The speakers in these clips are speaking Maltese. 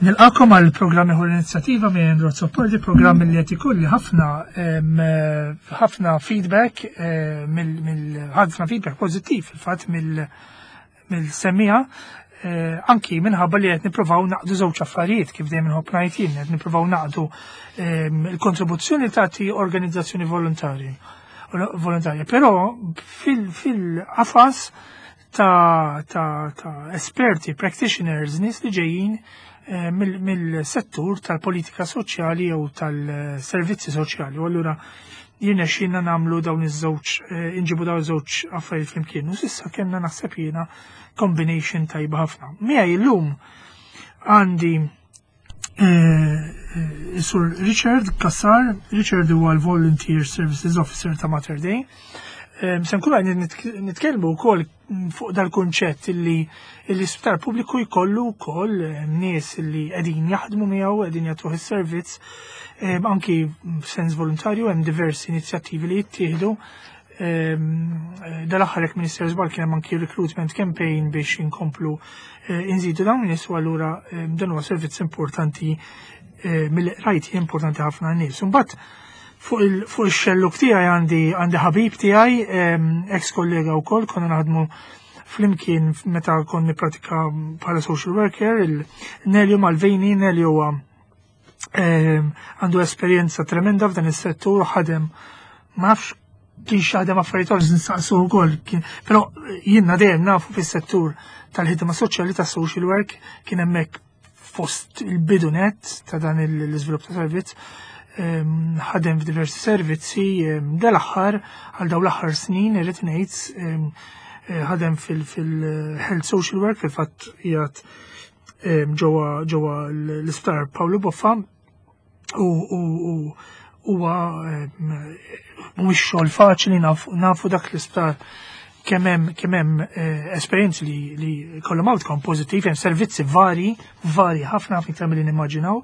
Nilqakom għal programm ieħor inizjattiva minn Andrew Azzopardi, programm li qed ikolli ħafna ħafna feedback eh, mill ħafna feedback pożittiv fil-fatt mill-semmiha eh, anki minħabba li qed nippruvaw naqdu żewġ affarijiet kif dejjem inħobb ngħid jien, qed nippruvaw naqdu il-kontribuzzjoni tagħti organizzazzjoni volontarji volontarja, però fil-qafas ta', ta, ta esperti, practitioners, nies li ġejjin eh, mill-settur tal-politika soċjali jew tal-servizzi soċjali. U allura jirna xinna namlu dawn iż-żewġ, eh, inġibu dawn iż-żewġ affarijiet flimkien. U sissa kellna naħseb jiena combination tajba ħafna. Miegħi llum għandi eh, Sur Richard Kassar, Richard huwa l-Volunteer Services Officer ta' Mater Dei. Se nkunu għajni nitkellmu wkoll fuq dal-kunċett li l-isptar pubbliku jkollu wkoll nies li qegħdin jaħdmu miegħu, qegħdin jagħtuh is-servizz, anki sens volontarju hemm diversi inizjattivi li jittieħdu. Dal-aħħar jekk Minister Żball kien hemm anki recruitment campaign biex inkomplu eh, inżidu dawn nies u allura dan huwa servizz importanti eh, mill-rajt importanti ħafna nies. Imbagħad fuq il-xelluk tiegħi għandi għandi ħabib tiegħi ex kollega wkoll konna naħdmu flimkien meta konni pratika bħala social worker, il-Nelio Malvini, Nelio huwa għandu esperjenza tremenda f'dan is-settur u ħadem ma nafx kien xaħdem affarijiet oħra nsaqsu wkoll, però jiena dejjem nafu fis-settur tal-ħidma soċjali tas social work kien hemmhekk fost il-bidu net ta' dan l-iżvilupp ta' servizz ħadem f'diversi servizzi dal-aħħar għal dawn l-aħħar snin irrid ngħid eh, ħadem fil-health social work fil-fatt qiegħed ġewwa ġewwa l-isptar Pawlu Boffa u huwa mhuwiex xogħol faċli nafu dak l-isptar kemm hemm kemm hemm eh, esperjenzi li li kollhom outcome pożittiv, hemm servizzi vari, vari ħafna ħafna iktar milli nimmaġinaw.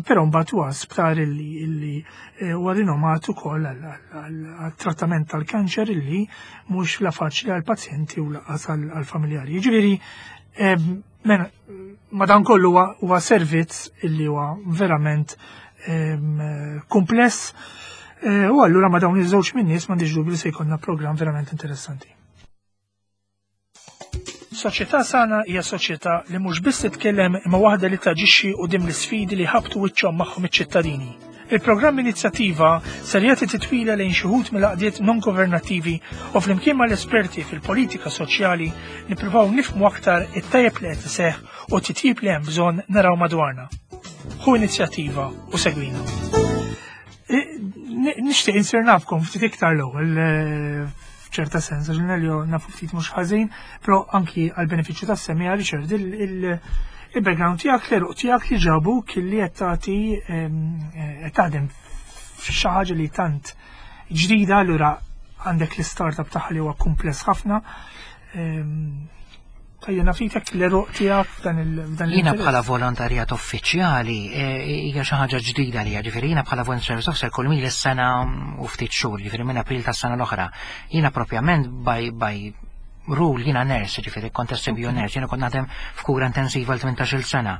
Però mbagħad huwa sptar illi illi eh, huwa rinomat ukoll għat-trattament tal-kanċer illi mhux la faċli għall-pazjenti u laqas għall-familjari. Jiġifieri Mela, madankollu huwa servizz illi huwa verament kumpless eh, u allura ma dawn iż-żewġ min-nies m'għandix dubju li se jkollna programm verament interessanti. Soċjetà sana hija soċjetà li mhux biss titkellem imma waħda li taġixxi quddiem l-isfidi li ħabtu wiċċhom magħhom iċ-ċittadini. Il-programm Inizjattiva ser jagħti titwila lejn xi wħud mill-għaqdiet non-governattivi u flimkien mal-esperti fil-politika soċjali nippruvaw nifhmu aktar it-tajjeb li qed iseħħ u t-titjib li hemm bżonn naraw madwarna. Ħu inizjattiva u segwina. Nixtieq insir nafkom ftit iktar l-ewwel eh, f'ċerta sens, għax Nelio nafu ftit mhux ħażin, però anki għal benefiċċju tas-semmiegħa Richard il- Il-background tiegħek, l-eruq tiegħek li ġabu kelli qed tagħti qed taħdem f'xi ħaġa li tant ġdida allura għandek l-startup tagħha li huwa kumpless ħafna. Tajja nafitek l-eruq tiegħek f'dan il- Jiena bħala volontarjat uffiċjali eh, hija xi ħaġa ġdida li ġifieri jiena bħala volunteer service officer kull mil sena u ftit xhur, ġifieri minn April tas-sena l-oħra. Jiena propjament by by rule jiena nurse, ġifieri kont SBU nurse, jiena kont naħdem f'kura intensiva l 18-il sena.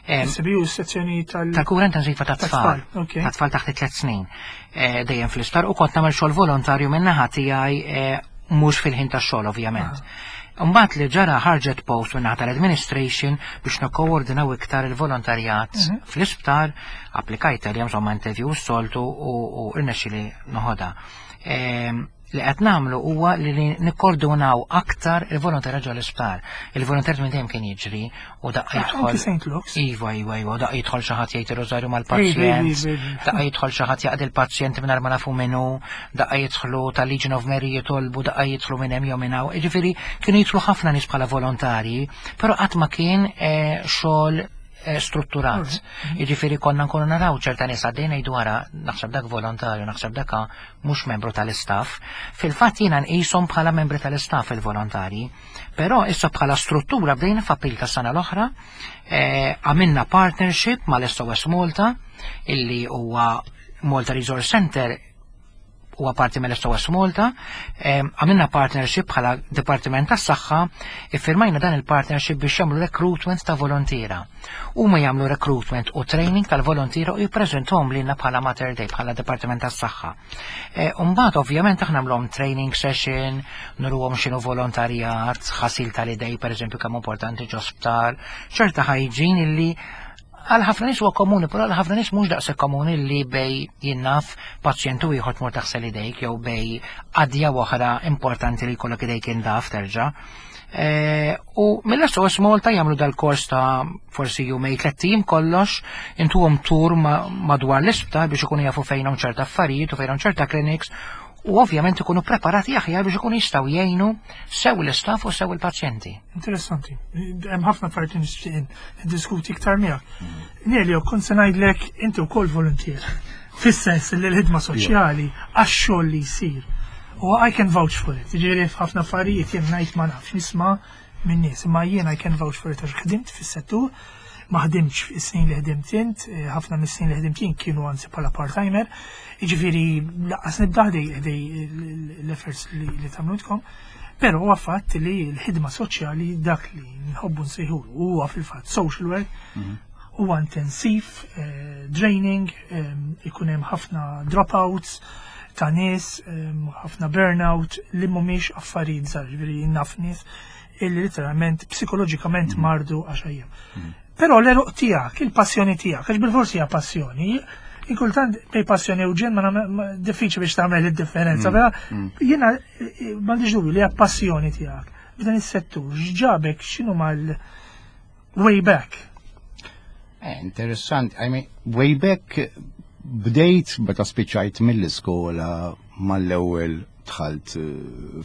SBU sezzjoni tal- Tal-kura intensiva ta' tfal. Ta' tfal taħt tliet snin. Eh, dejjem fl-isptar u kont nagħmel xogħol volontarju minn naħa tiegħi eh, mhux fil-ħin tax-xogħol ovvjament. Ah. Mbagħad li ġara ħarġet post minn naħa tal-administration biex nikkoordinaw iktar il-volontarjat mhm. fl-isptar, applikajt għalihom insomma interview soltu u rnexxili noħodha. Li qed nagħmlu huwa li nikkordunaw aktar il-volontarjat ġol isptar. Il-volontarjat minn dejjem kien jiġri u daqqa jidħol. Iva, iva, iva, daqqa jidħol xi ħadd jgħid ir-rożarju mal-pazjent, daqqa jidħol xi ħadd jaqdi l-pazjent mingħajr ma nafu minnu, daqqa jidħlu tal-Legion of Mary jitolbu, daqqa jidħlu minn hemm jew minn hawn. Jiġifieri kienu jidħlu ħafna nies bħala volontarji, però qatt ma kien eh, xogħol Eh, strutturat. Mm. Jiġifieri konna nkunu naraw ċerta nies għaddejna ngħidu wara naħseb dak volontarju, naħseb dak mhux membru tal-istaff. Fil-fatt jiena nqishom bħala membri tal-istaff il-volontarji. Però issa bħala struttura bdejna f'April tas-sena l-oħra, eh, għamilna partnership mal-SOS Malta illi huwa Malta Resource Center. huwa parti mill-SOS Malta, għamilna partnership bħala Dipartiment tas-Saħħa, iffirmajna dan il-partnership biex jagħmlu recruitment ta' volontiera. Huma jagħmlu recruitment u training tal-volontiera u jippreżentahom lilna bħala Mater Dei, bħala Dipartiment tas-Saħħa. Umbagħad ovvjament aħna nagħmluhom training session, nuruhom x'inhu volontarjat, ħasil tal-idej pereżempju kemm importanti ġo sptar, ċerta hygiene illi għal ħafna nies huwa komuni, però għal ħafna nies mhux daqshekk komuni li bejn jien naf pazjent u ieħor tmur taħsel idejk jew bejn qadja oħra importanti li jkollok idejk indaf terġa'. U mill-SOS Malta jagħmlu dal-kors ta' forsi jumejn 3 ijiem kollox, intuhom tur madwar l-isptar biex ikunu jafu fejn hawn ċerta affarijiet u fejn hawn ċerta clinics u ovvjament ikunu preparati aħjar biex ikunu jistgħu jgħinu sew l-istaff u sew il-pazjenti. Interessanti. Hemm ħafna affarijiet li nixtieq niddiskuti iktar miegħek. Nelio, kont se ngħidlek inti wkoll voluntier. Fis-sens li l-ħidma soċjali għax-xogħol li jsir. U I can vouch for it. Ġifieri f'ħafna affarijiet jien ngħid ma nafx nisma' minn nies, imma jien I can vouch for it għax ħdimt fis-settur, ma ħdimtx fis-snin li ħdimt int, ħafna mis-snin li ħdimt jien kienu anzi bħala part-timer, jiġifieri lanqas nibda ħdej l-efforts li tagħmlu intkom. Però huwa fatt li l-ħidma soċjali dak li nħobbu nsejħulu huwa fil-fatt social work, huwa intensiv, draining, ikun hemm ħafna dropouts ta' nies, ħafna burnout li mhumiex affarijiet żgħar, ġifieri naf nies illi literalment psikoloġikament mardu għax ejjem. Però l-għeruq tiegħek, il-passjoni tiegħek, għax bil-forsi hija passjoni, inkultant bejn passjoni u ġenn ma diffiċli biex tagħmel id-differenza, però jiena m'għandix dubju li hija passjoni tiegħek. F'dan is-settur, x'ġabek x'inhu mal way back? Interessanti, I mean, way back bdejt meta spiċċajt mill-iskola mal-ewwel dħalt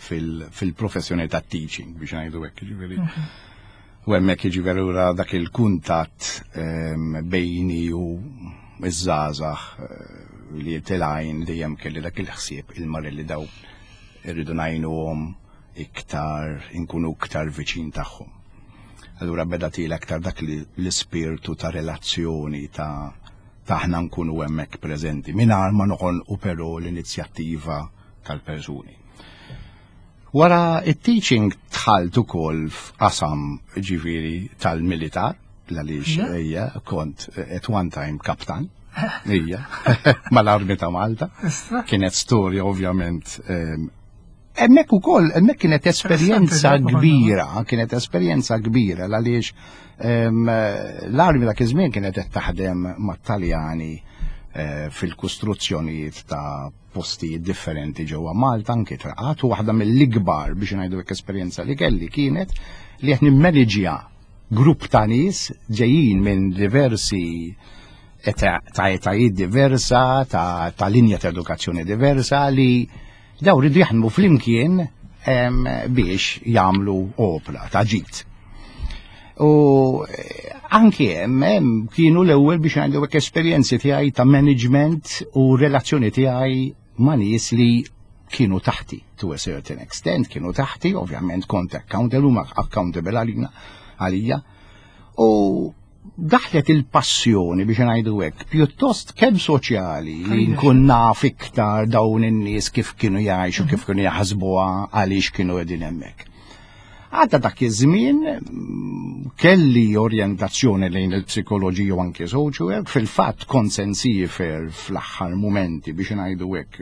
fil-professjoni ta' teaching biex ngħidu hekk, ġifieri. U hemmhekk jiġifieri ura dak il-kuntatt bejni u iż-żgħażagħ li telgħin dejjem kelli dak il-ħsieb il-mar li daw irridu ngħinuhom iktar, inkunu iktar viċin tagħhom. Allura beda tila aktar dak l-ispirtu ta' relazzjoni ta' aħna nkunu hemmhekk preżenti mingħajr ma noħonqu però l-inizjattiva tal-persuni. Wara it-teaching dħalt ukoll f'qasam ġifieri tal-militar, għaliex ejja kont at one time kaptan. Ija, mal-Armi ta' Malta. Kienet storja ovvjament. Hemmhekk ukoll, hemmhekk kienet esperjenza kbira, kienet esperjenza kbira għaliex l-armi dak iż-żmien kienet qed taħdem mat-Taljani fil-kostruzzjonijiet ta' postijiet differenti ġewwa Malta anke traqat u waħda mill-ikbar biex ngħidu hekk esperjenza li kelli kienet li qed nimmaniġja grupp ta' nies ġejjin minn diversi ta' etajiet diversa, ta' linja ta' edukazzjoni diversa li daw ridu jaħdmu flimkien biex jagħmlu opra ta' ġid. U anke hemm kienu l-ewwel biex ngħidu hekk esperjenzi tiegħi ta' management u relazzjoni tiegħi ma' nies li kienu taħti to a certain extent, kienu taħti, ovvjament kont accountable, huma accountable għalina għalija. U daħlet il-passjoni biex ngħidu hekk, pjuttost kemm soċjali li nkun naf iktar dawn in-nies kif kienu jgħixu, kif kienu jaħsbuha, għaliex kienu qegħdin hemmhekk. Għadda dak iż-żmien kelli orjentazzjoni lejn il-psikoloġija u anke social work, fil-fatt kont se nsiefer fl-aħħar momenti biex ngħidu hekk,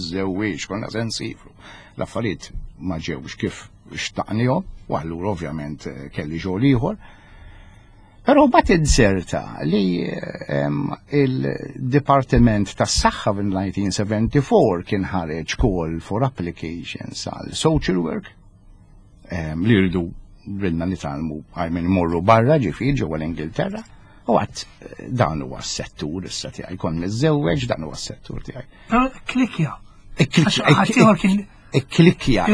żewwiex konna se nsifru. L-affarijiet ma ġewx kif xtaqnihom, u allura ovvjament kelli xogħol ieħor. Però bat inzerta li il-Dipartiment tas-Saħħa fil-1974 kien ħareġ call for applications għal social work li rridu ridna nitgħallmu għajmin morru barra ġifieri ġewwa l-Ingilterra. U għedt dan huwa s-settur issa tiegħi kont miżżewweġ dan huwa s-settur tiegħi. Però klikja. Ikklikja. Ikklikja,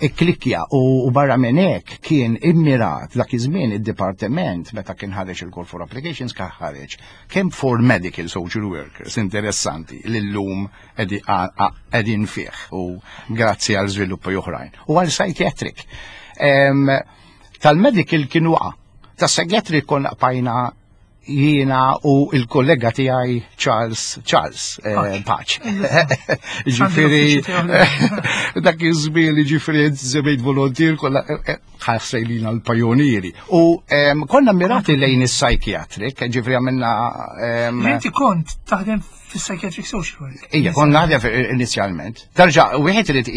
ikklikja u barra minn hekk kien immirat dak iż-żmien id-dipartiment meta kien ħareġ il-call for applications kien ħareġ kemm for medical social workers interessanti li llum qegħdin fih u grazzi għal żviluppi oħrajn u għal psychiatric. Tal-medical kien waqa', tas-psychiatric konna bqajna. Jiena u il-kollega tiegħi Charles Charles eh, Paċ. Ġifieri dak iż-żmien ġifieri żebejt volontier kollha eh, eh, ħassejlina l-pajonieri. U konna mirati lejn is-psychiatric, ġifieri għamilna. Inti kont taħdem fis-psychiatric social work. Ija, kont naħdem inizjalment. Tarġa, wieħed irid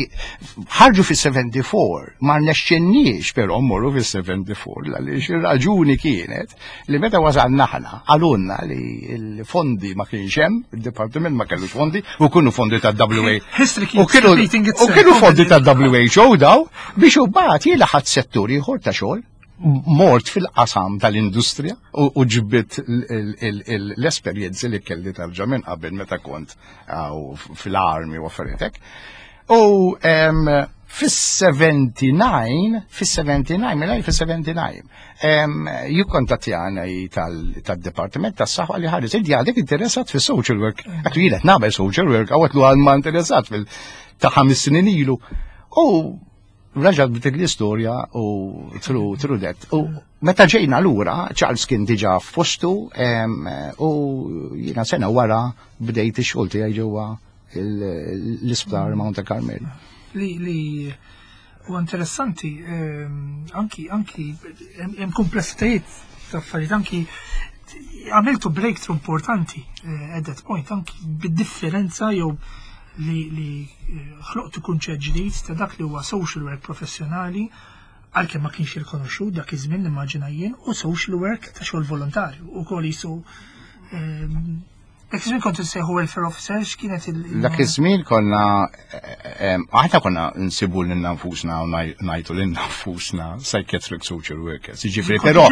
ħarġu fis-74, ma rnexxinniex però mmorru fis-74 għaliex ir-raġuni kienet li meta wasalna aħna qalulna li l-fondi ma kienx hemm, il-dipartiment ma kellux fondi u kienu fondi ta' WA. U kienu fondi ta' WHO daw biex u bagħad jiela ħadd settur ieħor ta' xogħol mort fil-qasam tal-industrija u ġbit l-esperjenzi li kelli tarġa minn qabel meta kont fil-armi u affarijiet hekk. U fis-79, fis-79, mela fis-79, jikkontattjana tad-Dipartiment tas-Saħħa li ħares, inti għadek interessat fis-social work. Għattu jien qed nagħmel social work, għawet lu għal ma interessat fil ta' 5 snin ilu. U raġa bdiet l-istorja u through that. U meta ġejna lura, Charles kien diġà f'postu u jiena sena wara bdejt ix-xogħol tiegħi ġewwa l-isptar Mount Carmel. Li u interessanti, anki hemm komplessitajiet ta' affarijiet, anki għamiltu breakthrough importanti at that point, anki bid-differenza jew li ħloqtu kunċett ġdid ta' dak li huwa social work professjonali, għalkemm ma kienx rikonoxxut dak iż-żmien, nimmaġina jien, u social work ta' xogħol volontarju ukoll jisu. Dak iż-żmien kontu sejħu welfare officers, kienet il- Dak iż-żmien konna aħna konna nsibu lilna nfusna u ngħidu lilna nfusna psychiatric social workers. Jiġifieri però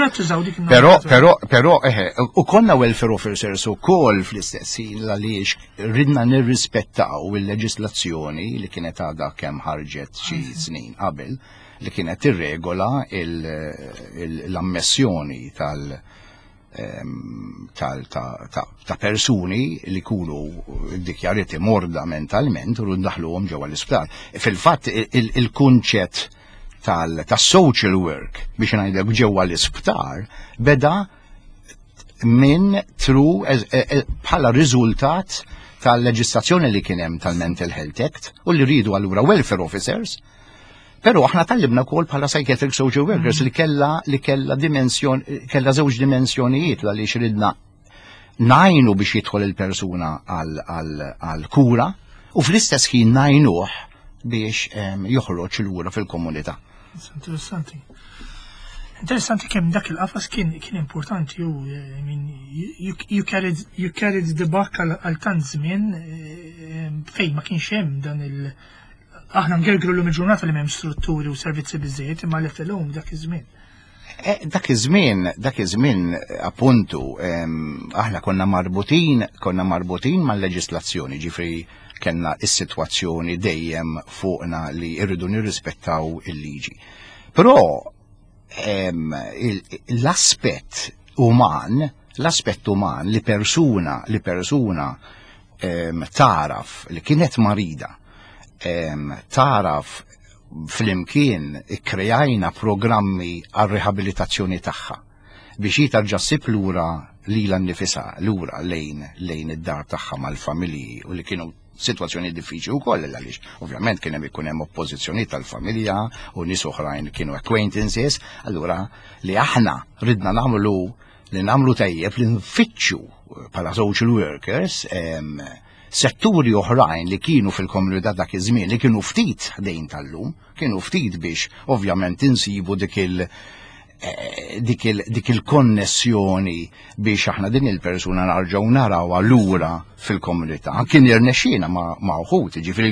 però però però eħe, u konna welfare officers ukoll fl-istess ħin għaliex ridna nirrispettaw il-leġislazzjoni li kienet għadha kemm ħarġet xi snin qabel li kienet tirregola l-ammessjoni tal- ta' persuni li kunu dikjarati morda mentalment u ndaħluhom ġewwa l-isptar. Fil-fatt il-kunċett tal-social work biex ngħidlek ġewwa l-isptar beda minn through bħala riżultat tal-leġislazzjoni li kien hemm tal-Mental Health Act u li rridu allura welfare officers. Però aħna tgħallimna wkoll bħala psychiatric social workers li kella dimensjon, kella żewġ dimensjonijiet għaliex ridna ngħinu biex jidħol il-persuna għal kura u fl-istess ħin ngħinuh biex joħroġ lura fil-komunità. Interessanti. Interessanti kemm dak il-qafas kien importanti u I mean, you carried the buck għal tant żmien fejn ma kienx hemm dan il- Aħna ngergru l il-ġurnata li m'hemm strutturi u servizzi biżejjed, imma let alone dak iż-żmien. Dak iż-żmien appuntu, aħna konna marbutin mal-leġislazzjoni, ġifri kellna is-sitwazzjoni dejjem fuqna li irridu nirrispettaw il-liġi. Però l-aspett uman li persuna taraf li kienet marida, taraf flimkien ikkrejajna programmi għal rehabilitazzjoni tagħha biex hi tarġa' ssib lura lilha nnifisha lura lejn id-dar tagħha mal-familji u li kienu situazzjoni diffiċli wkoll għaliex ovvjament kien hemm ikun hemm oppożizzjoni tal-familja u nies oħrajn kienu acquaintances, allura li aħna ridna nagħmlu li nagħmlu tajjeb li nfittxu bħala social workers setturi oħrajn li kienu fil-komunità dak iż-żmien li kienu ftit ħdejn tal-lum, kienu ftit biex ovvjament insibu dik il-konnessjoni biex aħna din il-persuna narġgħu narawha lura fil-komunità. Kien irnexxiena ma' uħud, ġifieri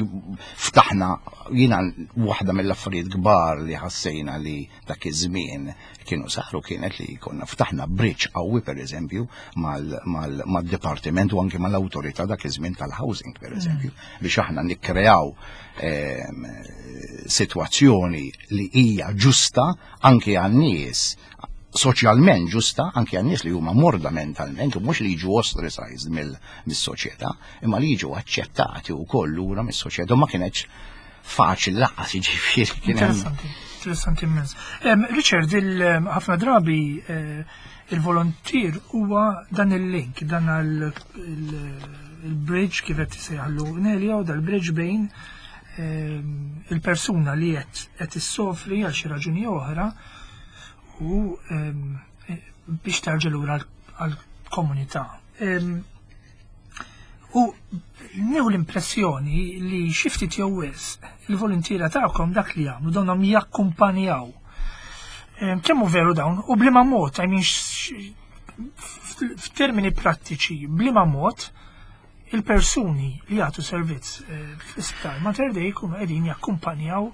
ftaħna, jiena waħda mill-affarijiet kbar li ħassejna li dak iż-żmien kienu saru kienet li konna ftaħna bridge qawwi pereżempju mal-dipartiment u anke mal-awtorità dak iż-żmien tal-housing pereżempju biex aħna nikkreaw sitwazzjoni li hija ġusta anke għan-nies, soċjalment ġusta anke għan-nies li huma morda mentalment u mhux li jiġu ostracized mis-soċjetà imma li jiġu aċċettati wkoll lura mis-soċjetà. Ma kienx faċli lanqas, jiġifieri kien hemm Interessanti, interessanti immens. Richard, ħafna drabi Il-volontier huwa dan il-link, dan il-bridge kif qed isejħlu Nelio, dal-bridge bejn ehm, il-persuna li qed qed issofri għal xi raġuni oħra u ehm, biex terġa' lura għall-komunità. Ehm, u nieħu l-impressjoni li xi ftit jew wisq il-voluntiera tagħkom dak li jagħmlu donhom jakkumpanjaw. Kemm hu veru dawn u bliema mod, I mean, f'termini prattiċi, bliema mod il-persuni li jagħtu servizz eh, fl-isptar Mater Dei jkunu qegħdin jakkumpanjaw,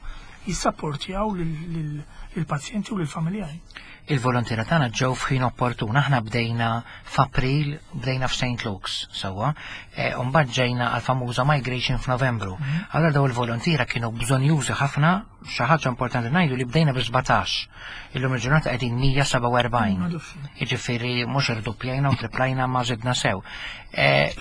jissapportjaw lill-pazjenti u lill-familjari. Il-volontiera tagħna ġew f'ħin opportun. Aħna bdejna f'April, bdejna f'St. Luke's, sewwa, e, u mbagħad ġejna għal famuża migration f'Novembru. Mhm. Allora daw il-volontiera kienu bżonjużi ħafna, xi ħaġa importanti ngħidu li bdejna bi 17. Illum il-ġurnata qegħdin 147. Jiġifieri mhux irduppjajna u triplajna ma żidna sew. Eh,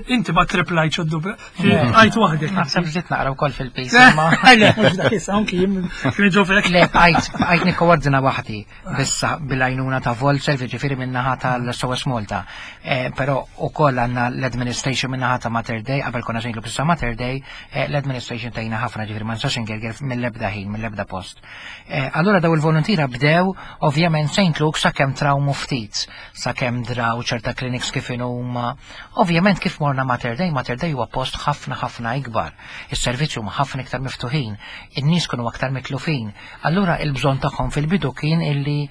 inti ma triplajt u dubla, għajt waħdek. Naħseb żidt naqra wkoll fil-pis. Le, mhux dak issa anki jien kien ġofek. Le, bqajt nikkoordina waħdi bissa bil-għajnuna ta' Volserv, ġifieri min-naħa tal-SOS Malta. Eh, però ukoll għandna l-administration min-naħa ta' Mater Dei, qabel konna sejlu bissa Mater Dei, eh, l-administration tajna ħafna ġifieri ma nistax ingerger mill-ebda ħin, mill-ebda post. Eh, allura daw il-volontira bdew ovvjament St. Luke sakemm trawmu ftit, sakemm draw ċerta clinics kif huma. Ovvjament kif morna Mater Dei, Mater Dei huwa post ħafna ħafna ikbar. Is-servizzi huma ħafna iktar miftuħin, in-nies kienu aktar mitlufin. Allura il-bżonn tagħhom fil-bidu kien illi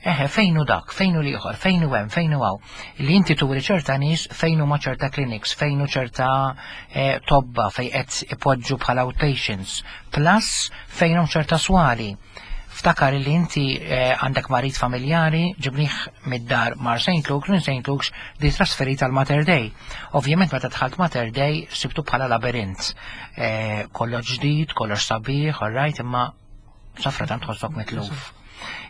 Eħe, fejn hu dak, fejn hu l-ieħor, fejn hu hemm, fejn hu hawn. Li inti turi ċerta nies fejn huma ċerta clinics, fejn hu ċerta eh, tobba fejn qed ipoġġu bħala outpatients, plus fejn hemm ċerta swali. Ftakar li inti eh, għandek marid familjari, ġibnieh mid-dar mar St. Luke's, minn St. Luke's di trasferit għal Mater Dei. Ovvjament meta dħalt Mater Dei sibtu bħala labirint. Eh, kollox ġdid, kollox sabiħ, all right, imma safra tant tħossok mitluf.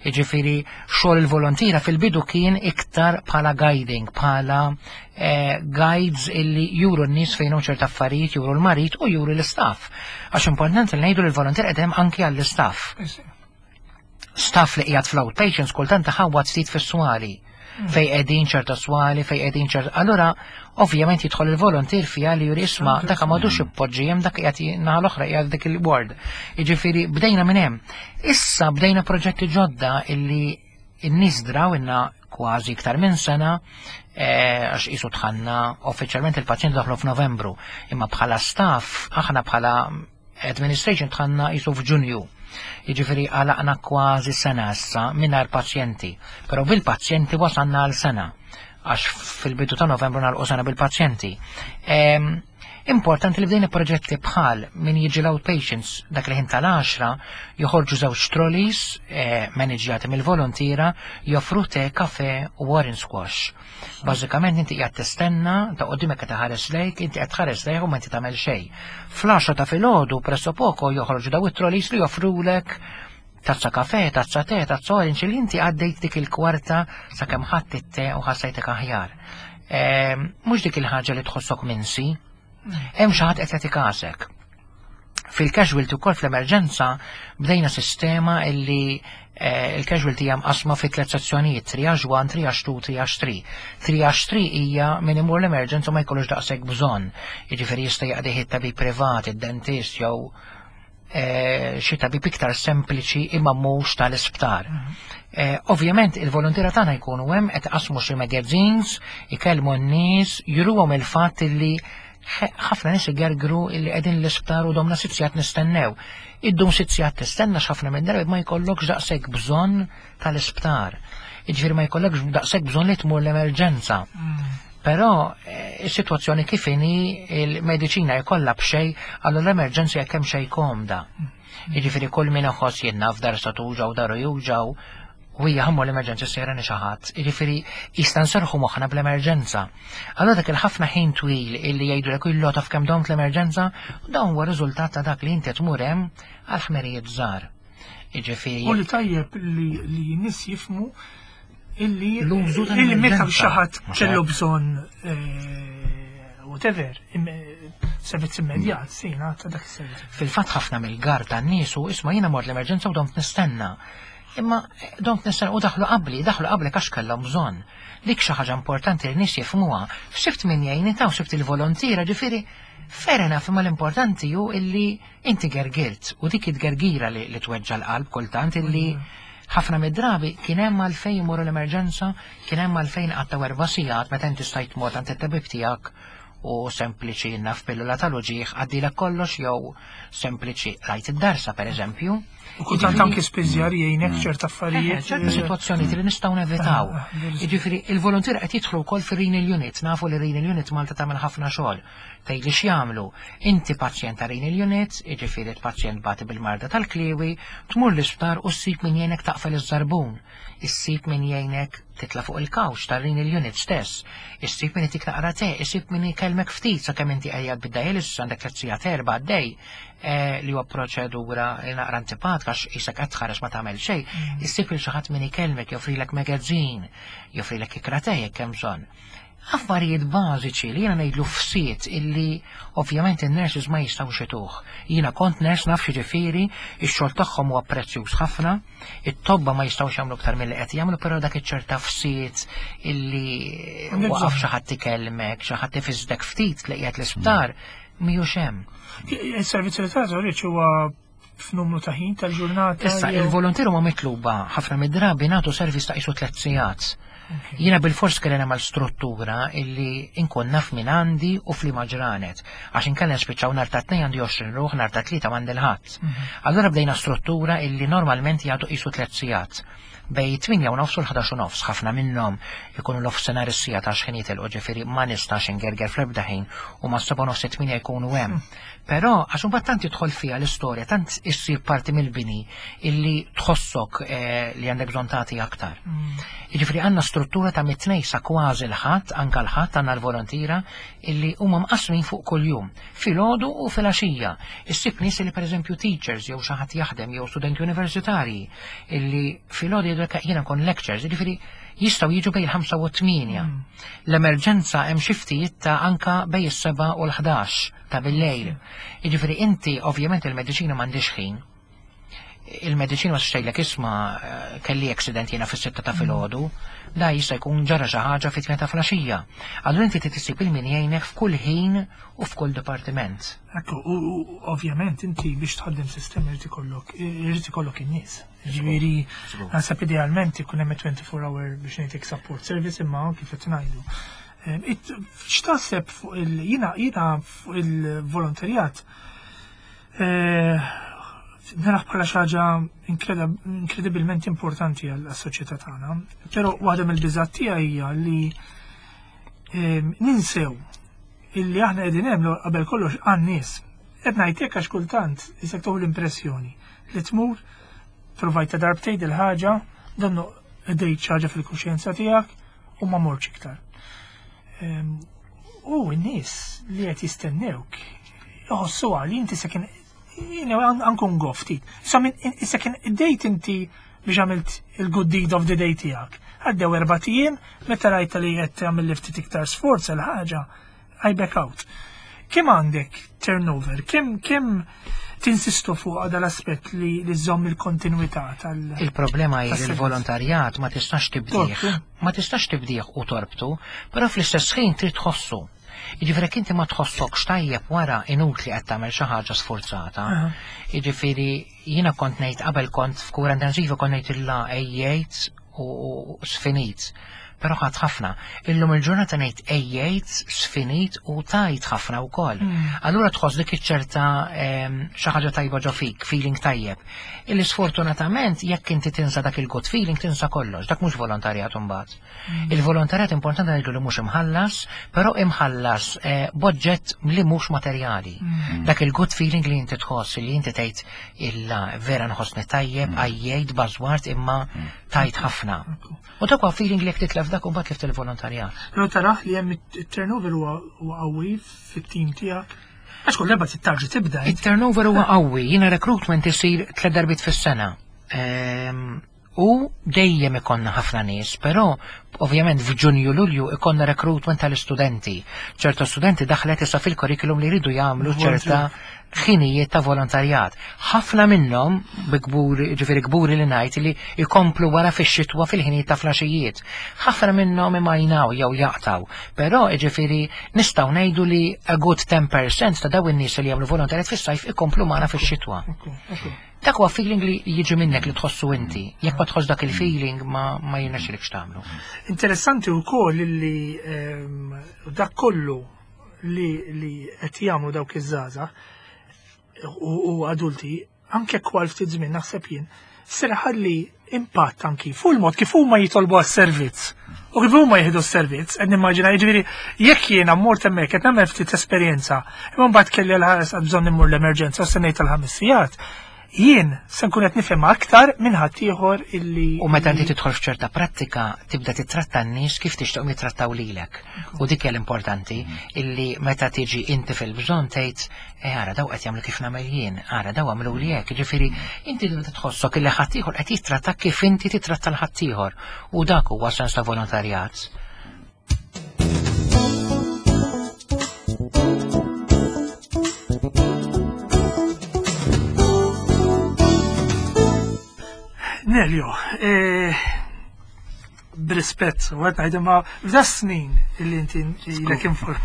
Jiġifieri xogħol il-volontira fil-bidu kien iktar bħala guiding, bħala eh, guides illi juru n-nies fejn hemm ċerta affarijiet, juru l-marit u juru l-istaff. Għax importanti li ngħidu li l-volontier qed anki għall-istaff. Staff li qiegħed fl-outpatients kultant taħawwad ftit fis-swali fej qegħdin ċerta swali, fej qegħdin ċerta. Allura, ovvjament jidħol il-volontier fija li juri isma' dak m'għadux ippoġġi hemm dak qiegħed naħa l-oħra qiegħed dik il-ward. Jiġifieri bdejna minn hemm. Issa bdejna proġetti ġodda illi n-nies draw inna kważi iktar minn sena eh, għax qisu dħalna uffiċjalment il-pazjent daħlu f'Novembru, imma bħala staff aħna bħala Administration dħalna qisu f'Ġunju. Jiġifieri għalaqna kważi sena issa mingħajr pazjenti, però bil-pazjenti wasalna għal sena għax fil-bidu ta' Novembru nagħlqu sena bil-pazjenti. Ehm, importanti li bdejna proġetti bħal min jiġi l-outpatients dak li ħin tal-10 joħorġu żewġ trolleys eh, maniġjati mill-volontira joffru te, kafe u orange squash. Bażikament inti qiegħed tistenna ta' qudiemek qed iħares lejk, inti qed tħares lejh u ma inti tagħmel xejn. Fl-għaxra ta' filgħodu pressopoko joħroġu daw it-trolleys li joffrulek tazza kafe, tazza te, tazza orange li inti għaddejt dik il-kwarta sakemm ħadd it-te u ħassejtek aħjar. Ehm, mhux dik il-ħaġa li tħossok minsi, hemm xi ħadd qed jagħti kasek. Fil-casualty wkoll fl-emerġenza bdejna sistema illi eh, il-casualty hija mqasma fi tliet sezzjonijiet, triage 1, triage 2, triage 3. Triage 3 hija min imur l-emerġenza ma jkollux daqshekk bżonn. Jiġifieri jista' jaqdih it-tabib privat, id-dentist jew eh, xi tabib iktar sempliċi imma mhux tal-isptar. Mhm. Eh, ovvjament il-volontira tagħna jkunu hemm qed qasmu xi magazines, ikellmu n-nies, juruhom il-fatt illi ħafna nies igergru illi qegħdin l-isptar u domna sitt sigħat nistennew. Iddum sitt sigħat tistenna x'ħafna minn darbi ma jkollokx daqshekk bżonn tal-isptar. Jiġifieri ma jkollokx daqshekk bżonn li tmur l-emerġenza. Mm. Però eh, is-sitwazzjoni kif inhi il-mediċina jkollha b'xejn allura l-emerġenza jekk hemm xejn komda. Mm. Jiġifieri kull min iħoss jien naf dar sa tuġaw daru juġaw u hija ħammu l-emerġenza sejra xi ħadd. Jiġifieri jista' nserħu moħħna bl-emerġenza. Allura dak il-ħafna ħin twil illi jgħidulek illu taf kemm domt l-emerġenza, dawn huwa riżultat ta' dak li inti tmur hemm għal ħmerijiet żgħar. Jiġifieri. U li tajjeb li n-nies jifhmu illi l-użu illi meta xi ħadd kellu bżonn eh, whatever, servizz immedjat, sejna ta' dak is-servizz. Fil-fatt ħafna mill-gar tan-nies u isma' jiena mort l-emerġenza u domt nistenna. Imma domt nistenna u daħlu qabli, daħlu qabli għax kellhom bżonn. Dik xi ħaġa importanti li nies jifhmuha. Sibt min jgħinni taw sibt il-volontiera, ġifieri fair enough, imma l-importanti hu illi inti gergirt u dik it-gergira li, li tweġġa l-qalb kultant illi ħafna mid-drabi kien hemm għalfejn imorru l-emerġenza, kien hemm għalfejn qattaw 4 sigħat meta inti stajt tmur għand it-tabib tiegħek u sempliċi naf pillola tal-uġigħ għaddilek kollox jew sempliċi rajt id-darsa per eżempju. U kultant anki spiżjar jgħinek ċerta affarijiet. Ċerta situazzjoni li nistgħu nevitaw. Jiġifieri il-volontier qed jidħlu wkoll fir-renal unit, nafu li renal unit Malta tagħmel ħafna xogħol. Tgħidli x'jagħmlu? Inti pazjent ta' renal unit, jiġifieri pazjent bati bil-marda tal-kliewi, tmur l-isptar u ssib min jgħinek taqfel iż-żarbun, issib min jgħinek titla fuq il-couch tar-renal unit stess, issib min itik naqra te, issib min ikellmek ftit sakemm inti qiegħed bid-dialysis għandek 3 sigħat 4 għaddej, li huwa proċedura li naqra antipatika għax isek qed tħares ma tagħmel xejn, issib lil xi ħadd min ikellmek, joffrilek magazine, joffrilek ikra te jekk hemm bżonn. Affarijiet bażiċi li jiena ngħidlu fsiet illi ovvjament in-nurses ma jistgħux ituh. Jiena kont nurse, naf ġifieri, ix-xogħol tagħhom huwa prezzjuż ħafna, it-tobba ma jistgħux jagħmlu aktar milli qed jagħmlu, però dak iċ-ċerta fsiet illi waqaf xi ħadd ikellmek, xi ħadd ifisdek ftit li qiegħed l-isptar, mhijiex hemm. Il-servizz li tagħtu huwa f'numru ta' ħin tal-ġurnata. Issa, il-volontieri huma mitluba ħafna mid-drabi nagħtu servizz ta' qisu 3 sigħat. Jiena bil-fors kelli nagħmel struttura illi inkun naf min għandi u f'liema ġranet. Għax inkella nispiċċaw nhar ta' Tnejn għandi 20 ruħ, nhar ta' Tlieta m'għandi l-ħadd. Allura bdejna struttura illi normalment jagħtu qisu 3 sigħat. Bejn 8:30 u l-11:30, ħafna minnhom ikunu l-offsenar is-siegħa ta' xħin jitilqu, ġifieri ma nistax ingerger fl-ebda ħin u ma' 7:30 8 jkunu hemm. Però għax imbagħad tant tidħol fiha l-istorja, tant issir parti mill-bini illi tħossok li għandek bżonn tagħti aktar. Jiġifieri għandna struttura ta' mit-Tnejn sa kważi l-Ħadd, anka l-Ħadd għandna l-volontira illi huma mqasmin fuq kuljum, filgħodu u filgħaxija. Issib nies li pereżempju teachers jew xi ħadd jaħdem jew studenti universitarji illi filgħodu jgħidu jiena nkun lectures, jiġifieri jistgħu jiġu bejn il-5 u 8. L-emerġenza hemm xiftijiet ta' anka bejn is-7 u l-11 ta' bil-lejl. Jiġifieri inti ovvjament il-mediċina m'għandix ħin. Il-mediċina ma tgħidlek isma' kelli accident jiena fis-6 ta' filgħodu, da jista' jkun ġara xi ħaġa fit-8 ta' filgħaxija. Allura inti trid issib il-min jgħinek f'kull ħin u f'kull dipartiment. Ekku, u ovvjament inti biex tħaddem sistema irid ikollok in-nies. Ġifieri, naħseb idealment ikun hemm 24 hour biex ngħidlek support service, imma kif qed ngħidu. X'taħseb fuq il jiena fuq il-volontarjat naraħ bħala xi ħaġa inkredibilment importanti għall-soċjetà tagħna. Però waħda mill-biżgħat tiegħi hija li ninsew illi aħna qegħdin hemm qabel kollox għan-nies. Qed ngħid għax kultant isek tieħu l-impressjoni li tmur provajt ta' darbtejn il-ħaġa, donnu qdejt ħaġa fil-kuxjenza tiegħek u ma mortx iktar. U n-nies li qed jistennewk jħossu li inti se kien jiena ankun goftit. Issa kien id-dejt inti biex għamilt il-good deed of the day tiegħek. Għaddew 4 ijiem, meta rajta li qed tagħmel li ftit iktar sforz il-ħaġa, I back out. Kemm għandek turnover? Kemm tinsistu fuq dal-aspett li żżomm il-kontinuità tal Il-problema hi li l-volontarjat ma tistax tibdih. Ma tistax tibdih u torbtu, però fl-istess ħin trid tħossu. Jiġifieri jekk inti ma tħossokx tajjeb wara, inutli qed tagħmel xi ħaġa sforzata. Jiġifieri jiena kont ngħid qabel kont f'kura intensiva kont ngħid illa ejjejt u sfinit. Però ħadd ħafna. Illum il-ġurnata ngħid ejjejt, sfinit u tajt ħafna wkoll. Allura tħoss dik iċ-ċerta xi ħaġa tajba ġo fik, feeling tajjeb. Illi sfortunatament jekk inti tinsa dak il-good feeling tinsa kollox, dak mhux volontarjat imbagħad. Il-volontarjat importanti ngħidu li mhux imħallas, però imħallas b'oġġett li mhux materjali. Dak il-good feeling li inti tħoss, li inti tgħid illa vera nħossni tajjeb, għajjejt, bażwart imma tajt ħafna. U dak huwa feeling li jekk titlef dak imbagħad tlift il-volontarjat. Però taraħ li hemm it-turnover huwa qawwi fit-tim tiegħek. Għax kull darba tittarġi tibda. Il-turnover huwa qawwi, jiena recruitment isir tliet darbiet fis-sena. U dejjem ikonna ħafna nies, però ovvjament f'Ġunju Lulju ikonna recruitment tal-istudenti. ċerta studenti daħlet issa fil-curriculum li jridu jagħmlu ċerta ħinijiet ta' volontarjat. Ħafna minnhom bi kburi, ġifieri kburi li ngħid li jkomplu wara fix-xitwa fil-ħinijiet ta' flaxijiet. Ħafna minnhom imajnaw jew jaqtaw, però ġifieri nistgħu ngħidu li a good 10% ta' dawn in-nies li jagħmlu volontarjat fis-sajf ikomplu magħna fix-xitwa. Dak huwa feeling li jiġi minnek li tħossu inti. Jekk ma tħoss dak il-feeling ma ma jirnexxilekx tagħmlu. Interessanti wkoll li dak kollu li li qed jagħmlu dawk iż-żgħażagħ u adulti anke kwal ftit żmien naħseb jien ser ħalli impatt anki fuq il-mod kif huma jitolbu għas-servizz. U kif huma jieħdu s-servizz, qed nimmaġina jiġifieri jekk jiena mmort hemmhekk qed nagħmel ftit esperjenza, imma mbagħad kelli l-ħares għad bżonn immur l-emerġenza u stennejt tal-ħames sigħat, jien se nkun qed nifhem aktar minn ħaddieħor illi. U meta inti tidħol f'ċerta prattika tibda titratta n-nies kif tixtieqhom jittrattaw lilek. U dik hija l-importanti illi meta tiġi inti fil-bżonn tgħid e ara daw qed jagħmlu kif nagħmel jien, ara daw għamlu li hekk, ġifieri inti tibda tħossok illi ħaddieħor qed jittratta kif inti titratta l-ħaddieħor. U dak huwa sens ta' volontarjat. Nelio, eh, b'rispett, u għed ngħid imma f'da snin illi inti ilek inform.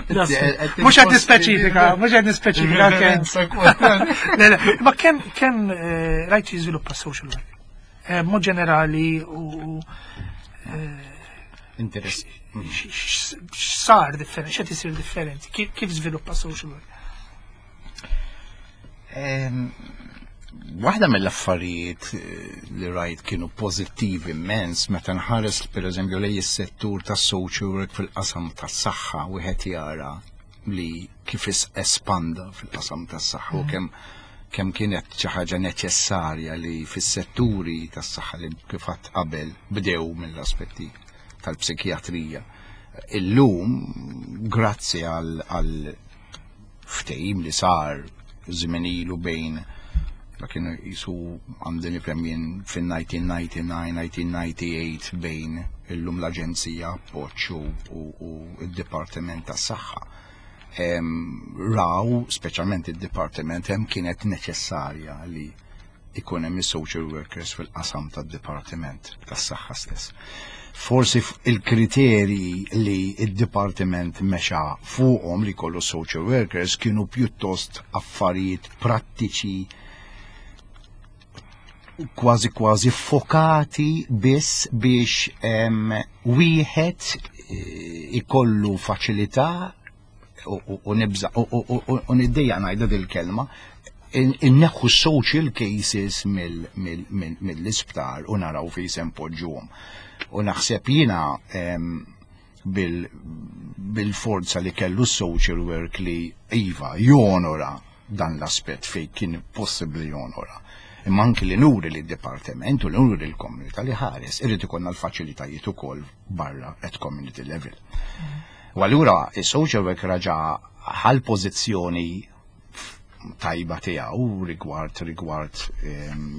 Mhux qed nispeċifika, mhux qed nispeċifika kemm. Ma kemm kemm eh, rajt jiżviluppa social work. Eh, mod ġenerali u eh, Interess. X'sar differenti, x'qed isir differenti, kif żviluppa social work? Waħda mill-affarijiet eh, li rajt kienu pożittivi immens meta nħares pereżempju lej is-settur tas-social work fil-qasam tas-saħħa wieħed jara li kif espanda fil-qasam tas-saħħa u kemm kemm kienet xi ħaġa neċessarja li fis-setturi tas-saħħa li kif għadt qabel bdew mill-aspetti tal-psikjatrija. Illum, grazzi għal ftehim li sar żmien ilu bejn dak kienu jisu għandi nifhem jien fin-1999, 1998 bejn illum l-Aġenzija Appoġġ u d-Dipartiment tas-Saħħa. Raw, speċjalment id-Dipartiment hemm kienet neċessarja li ikun hemm is-social workers fil-qasam tad-Dipartiment tas-Saħħa stess. Forsi il-kriterji li id-Dipartiment mexa fuqhom li kollu social workers kienu pjuttost affarijiet prattiċi kważi kważi fokati biss biex wieħed eh, ikollu faċilità u nibża u niddejja ngħidha dil-kelma inneħħu social cases mill-isptar u naraw fejn se npoġġuhom. U naħseb jiena bil-forza li kellu social work li iva jonora dan l-aspett fejn kien possibbli jonora. Imma anki li nuri li d-dipartiment u li nuri l-komunità li ħares irid ikollna l-faċilitajiet ukoll barra at community level. U allura is-social work raġa ħal pożizzjoni tajba tiegħu rigward rigward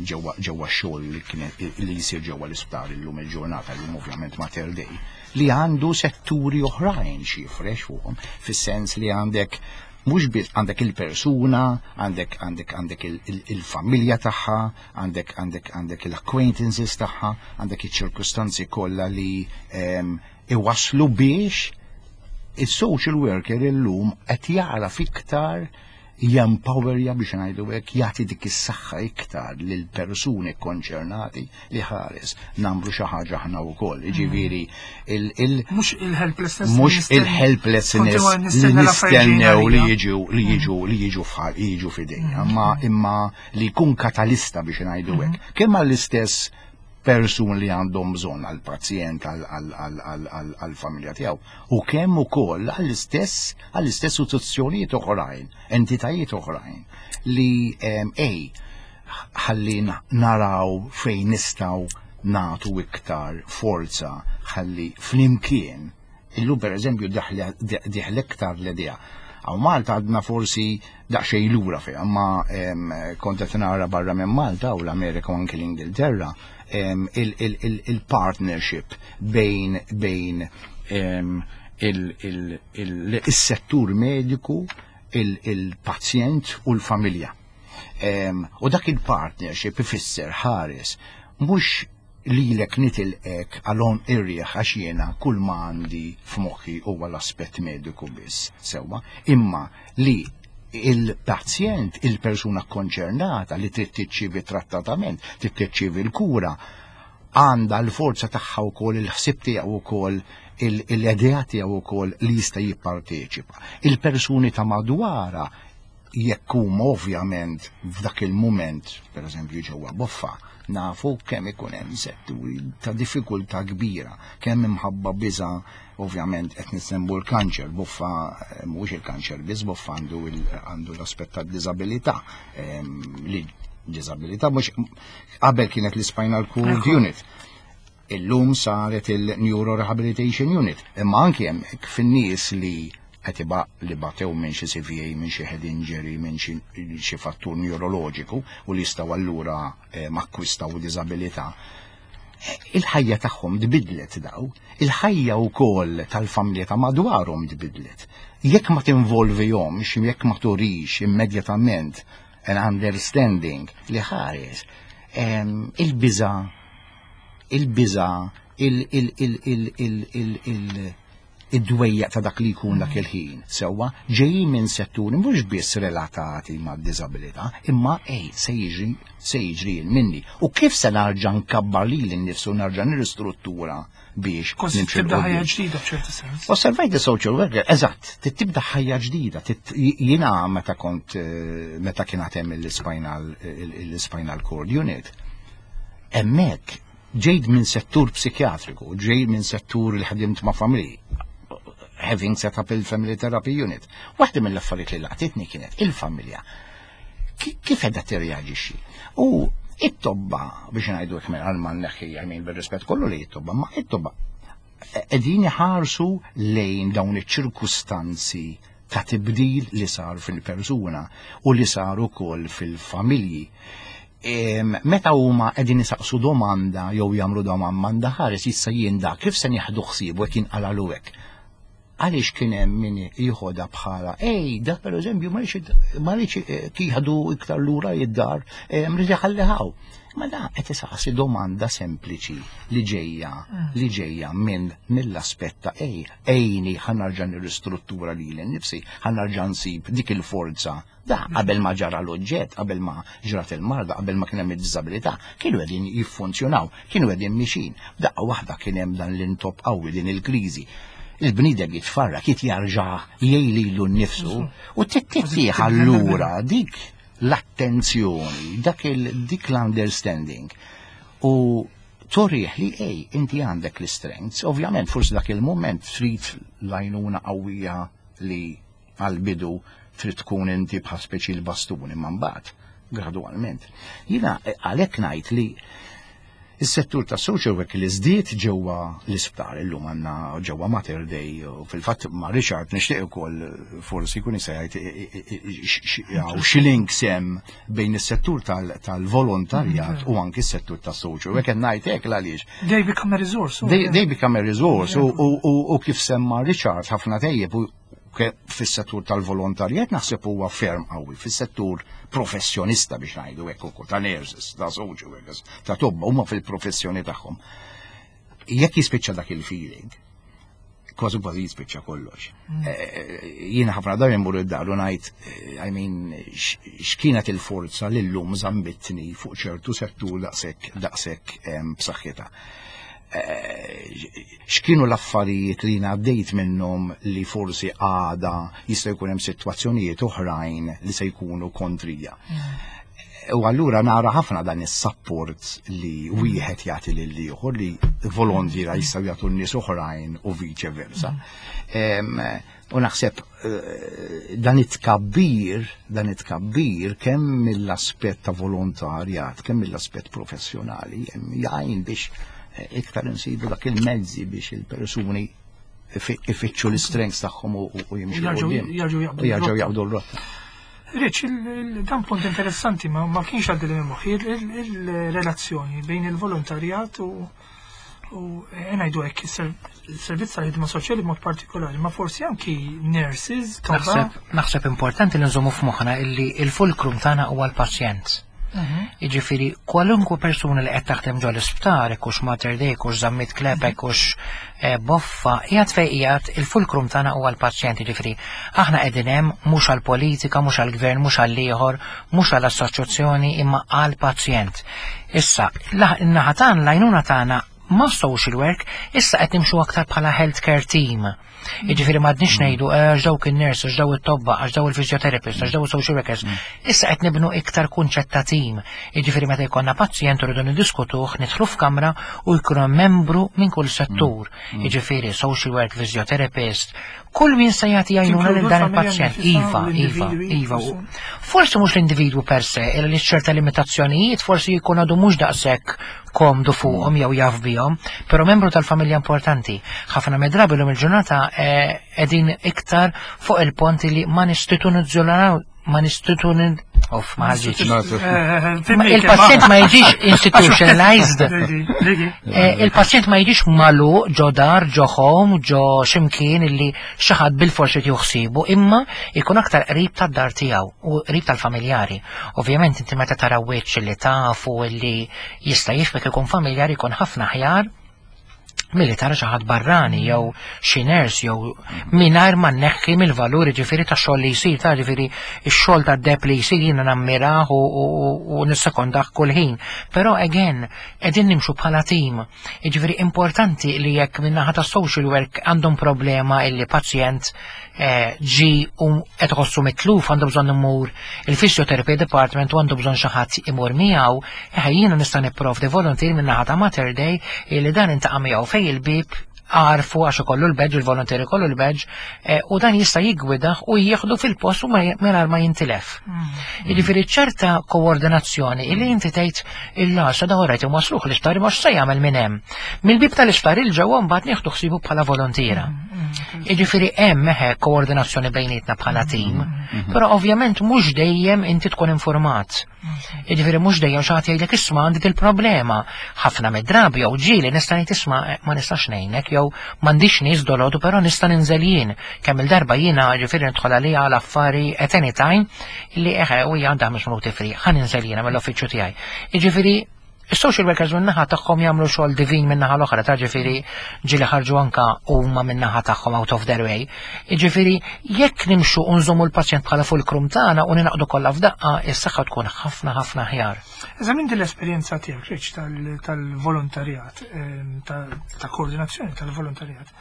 ġewwa ġewwa x-xogħol li kien li jsir ġewwa l-isptar illum il-ġurnata llum ovvjament Mater Dei li għandu setturi oħrajn xi jifrex fuqhom fis-sens li għandek mhux biss għandek il-persuna, għandek għandek għandek il-familja tagħha, għandek għandek għandek il-acquaintances tagħha, għandek iċ-ċirkustanzi kollha li iwasslu biex is-social worker illum qed jagħraf iktar jempowerja biex ngħidu hekk jagħti dik is-saħħa iktar lil persuni konċernati li ħares nagħmlu xi ħaġa aħna wkoll. Jiġifieri il mhux il-helplessness mhux il-helplessness li nistennew li jiġu li jiġu li jiġu fħal jiġu f'idejna, imma imma li jkun katalista biex ngħidu hekk. Kemm għall-istess persun li għandhom bżonn għall-pazjent għall-familja tiegħu u kemm ukoll għall-istess għall-istess istituzzjonijiet oħrajn, entitajiet oħrajn li ej ħalli naraw fejn nistgħu nagħtu iktar forza ħalli flimkien illum pereżempju dieħel iktar l-idea. Hawn Malta għadna forsi daqsxejn lura fiha, imma kont qed nara barra minn Malta u l-Amerika u anki l-Ingilterra il-partnership bejn bejn il-settur mediku, il-pazjent u l-familja. U dak il-partnership ifisser ħares mhux lilek nitilqek għal irrieħ għax jiena kull ma għandi f'moħħi huwa l-aspett mediku biss, sewwa, imma li il-pazjent, il-persuna konċernata li trid tirċievi trattament, trid tirċievi l-kura, għandha l-forza tagħha wkoll il-ħsieb tiegħu wkoll l-idea tiegħu wkoll li jista' jipparteċipa. Il-persuni ta' madwara jekk huma ovvjament f'dak il-mument, per eżempju ġewwa Boffa, nafu kemm ikun hemm setturi ta' diffikultà kbira, kemm imħabba biża' ovvjament qed nisemmu l-kanċer, Boffa mhuwiex il-kanċer biss, Boffa għandu għandu l-aspett tad-diżabilità li diżabilità mhux qabel kienet l-spinal cord unit. Illum saret il-Neuro Rehabilitation Unit, imma anki hemmhekk fin-nies li qed li batew minn xi CVA, minn xi head injury, minn xi fattur neuroloġiku u li jistgħu allura akkwistaw diżabilità. Il-ħajja tagħhom tbidlet daw, il-ħajja wkoll tal-familja ta' madwarhom tbidlet. Jekk ma tinvolvihomx, jekk ma turix immedjatament an understanding li ħares, il-biża' il-biża' id-dwejjaq ta' dak li jkun dak il-ħin, sewwa, ġejjin minn setturi mhux biss relatati ma' diżabilità, imma ej, se jiġri se jiġri minni. U kif se narġa' nkabbar lili nnifsu narġa' nirristruttura biex nimxi tibda ħajja ġdida f'ċertu sens. Osservajt the social worker, eżatt, tibda ħajja ġdida. Jiena meta kont meta kien hemm il-spinal il-spinal cord unit, hemmhekk ġejt minn settur psikjatriku, ġejt minn settur li ħdimt ma' familji, having set up il-family therapy unit. Waħda mill-affarijiet li laqtitni kienet il-familja. Kif qiegħda tirreaġixxi? U it-tobba, biex ngħidu hekk minn ma neħħi għamin bil-rispett kollu li it-tobba, ma it-tobba qegħdin iħarsu lejn dawn iċ-ċirkustanzi ta' tibdil li sar fil-persuna u li sar ukoll fil-familji. Meta huma qegħdin isaqsu domanda jew jagħmlu domanda ħares issa jien da kif se nieħdu ħsiebu hekk jinqalalu hekk. Għaliex kien hemm min jieħodha bħala ej, da pereżempju ma rridx jieħdu iktar lura id-dar, mrid iħallihaw. Ma da qed isaqsi domanda sempliċi li ġejja li ġejja minn mill-aspett ta' ej, ejni ħa nerġa' nirristruttura lili nnifsi, ħa nerġa' nsib dik il-forza. Da qabel ma ġara l-oġġett, qabel ma ġrat il-marda, qabel ma kien hemm id-diżabilità, kienu qegħdin jiffunzjonaw, kienu qegħdin mixin. Daqqa waħda kien hemm dan l-intop qawwi din il-kriżi. Il-bniedem jitfarrak, jitjarġa' jgħid lilu nnifsu u tittieħ allura dik l-attenzjoni, dak dik l-understanding. U turih li ej, inti għandek l-strengths, ovvjament forsi dak il-moment trid l-għajnuna qawwija li għal-bidu trid tkun inti bħal speċi l-bastun imma mbagħad gradwalment. Jiena għalhekk ngħid li Is-settur ta' social work li żdied ġewwa l-isptar illum għandna ġewwa Mater Dei u fil-fatt ma' Richard nixtieq ukoll forsi jkun jista' jgħid hawn xi links hemm bejn is-settur tal-volontarjat u anki s-settur tas social work. Qed ngħid hekk għaliex. They become a resource. They become a resource u kif semma Richard ħafna tejjeb u fis-settur tal-volontarjat naħseb huwa ferm qawwi, fis-settur professjonista biex ngħidu hekk ukoll ta' nurses, ta' social workers, ta' tobba huma fil-professjoni tagħhom. Jekk jispiċċa dak il-feeling, kważi kważi jispiċċa kollox. Jiena ħafna drabi mmur id-dar u ngħid, I mean, x'kienet il-forza li llum żammitni fuq ċertu settur daqshekk daqshekk b'saħħitha. X'kienu l-affarijiet li għaddejt minnhom li forsi għada jista' jkun hemm sitwazzjonijiet oħrajn li se jkunu kontrija. U allura nara ħafna dan is-support li wieħed jagħti lil ieħor li volontiera jistgħu jagħtu n-nies oħrajn u vice versa. U naħseb dan it-tkabbir kemm mill-aspett ta' volontarjat, kemm mill-aspett professjonali, jgħin biex iktar insibu dak il-mezzi biex il-persuni ifittxu l-strengths tagħhom u jimxu. U jerġgħu jaqbdu l-rotta. Rich, dan punt interessanti ma kienx għaddi li moħħi il-relazzjoni bejn il-volontarjat u ngħidu hekk is-servizz tal-ħidma soċjali b'mod partikolari, ma forsi anki nurses. Naħseb importanti li nżommu f'moħħna illi il-fulcrum tagħna huwa l-pazjent. Jiġifieri kwalunkwe persuna li qed taħdem ġol isptar, hux Mater Dei, hux Zammit Klepek, hux Boffa, qiegħed fejn qiegħed il-fulcrum tagħna huwa l-pazjent, jiġifieri aħna qegħdin hemm mhux għall-politika, mhux għall-gvern, mhux għall-ieħor, mhux għall-assoċjazzjoni, imma għall-pazjent. Issa, in-naħa tagħna, l-għajnuna tagħna ma' social work, issa qed nimxu aktar bħala healthcare team. Jiġifieri m'għadniex ngħidu għax dawk in-nurse, għax daw it-tobba, għax daw il-physiotherapist, għax daw il-social workers. Issa qed nibnu iktar kunċett ta' team. Jiġifieri meta jkollna pazjent rridu niddiskutuh, nidħlu f'kamra u jkunu membru minn kull settur. Jiġifieri social work, physiotherapist, kull min se jagħti għajnuna lil dan il-pazjent. Iva, iva, iva. Forsi mhux l-individwu per se, illa li ċerta limitazzjonijiet forsi jkun għadu mhux daqshekk komdu fuqhom jew jaf bihom, però membru tal-familja importanti. Ħafna mid-drabi l il-ġurnata qegħdin iktar fuq il-pont li ma nistituzzjonalizzaw ma nistitun Of, ma ħarġitx. Il-pazjent ma jiġix institutionalized. Il-pazjent ma jiġix magħluq ġo dar, ġo home, ġo ximkien illi xi ħadd bil-forsi juħsibu, imma jkun aktar qrib tad-dar tiegħu u qrib tal-familjari. Ovvjament inti meta tara wiċċ li tafu illi jista' jifmek ikun familjari jkun ħafna aħjar milli tara xi ħadd barrani jew xi nurse jew mingħajr ma nneħħi mill-valur ġifieri ta' xogħol li jsir ta' ġifieri x-xogħol ta' deb li jsir jiena nammirah u nissekondah kull ħin. Però again qegħdin nimxu bħala team. Jiġifieri importanti li jekk min-naħa ta' social work għandhom problema illi pazjent ġi u qed iħossu mitluf għandu bżonn imur il-physiotherapy department u għandu bżonn xi ħadd imur miegħu, jiena nista' nipprovdi volunteer min-naħa ta' Mater Dei li dan intaqa' miegħu fejn il-bib għarfu għax ikollu l-badge, il-volunteer ikollu l-badge, u dan jista' jiggwidah u jieħdu fil-post u mingħajr ma jintilef. Jiġifieri ċerta koordinazzjoni illi inti tgħid il-lasa da rajt imwasluh l-isptar ma x'se jagħmel minn hemm. Mill-bib tal-isptar il-ġewwa mbagħad nieħdu ħsibu bħala volontiera. Jiġifieri hemm eħe koordinazzjoni bejnietna bħala team, però ovvjament mhux dejjem inti tkun informat. Jiġifieri mhux dejjem xi ħadd jgħidlek isma' għandi il-problema. Ħafna mid-drabi jew ġieli nista' ngħid isma' ma nistax ngħinek jew m'għandix nies dolodu però nista' ninżel jien. Kemm il-darba jiena ġifieri nidħol għalija għal affari at any time li eħe u hija għandha 5 minuti free, ħa ninżel jiena mill-uffiċċju tiegħi. Jiġifieri is-social workers min-naħa tagħhom jagħmlu xogħol divin min-naħa l-oħra, ta' ġifieri ġieli ħarġu anka huma min-naħa tagħhom out of their way. Jiġifieri jekk nimxu u nżommu l-pazjent bħala fulcrum tagħna u ninaqdu kollha f'daqqa, is-saħħa tkun ħafna ħafna aħjar. Eżatt minn din l-esperjenza tiegħek, Rich, tal-volontarjat, ta' koordinazzjoni tal-volontarjat.